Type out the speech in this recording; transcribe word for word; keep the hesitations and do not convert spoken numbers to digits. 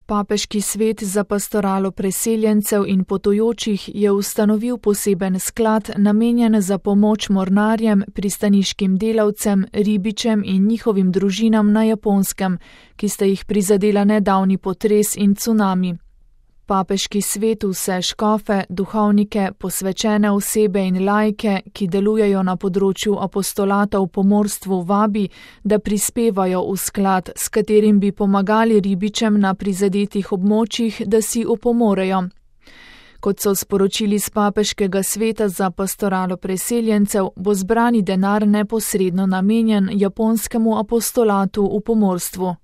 Papeški svet za pastoralo preseljencev in potujočih je ustanovil poseben sklad, namenjen za pomoč mornarjem, pristaniškim delavcem, ribičem in njihovim družinam na Japonskem, ki sta jih prizadela nedavni potres in cunami. Papeški svet vse škofe, duhovnike, posvečene osebe in laike, ki delujejo na področju apostolata v pomorstvu, vabi, da prispevajo v sklad, s katerim bi pomagali ribičem na prizadetih območjih, da si opomorejo. Kot so sporočili z Papeškega sveta za pastoralo preseljencev, bo zbrani denar neposredno namenjen japonskemu apostolatu v pomorstvu.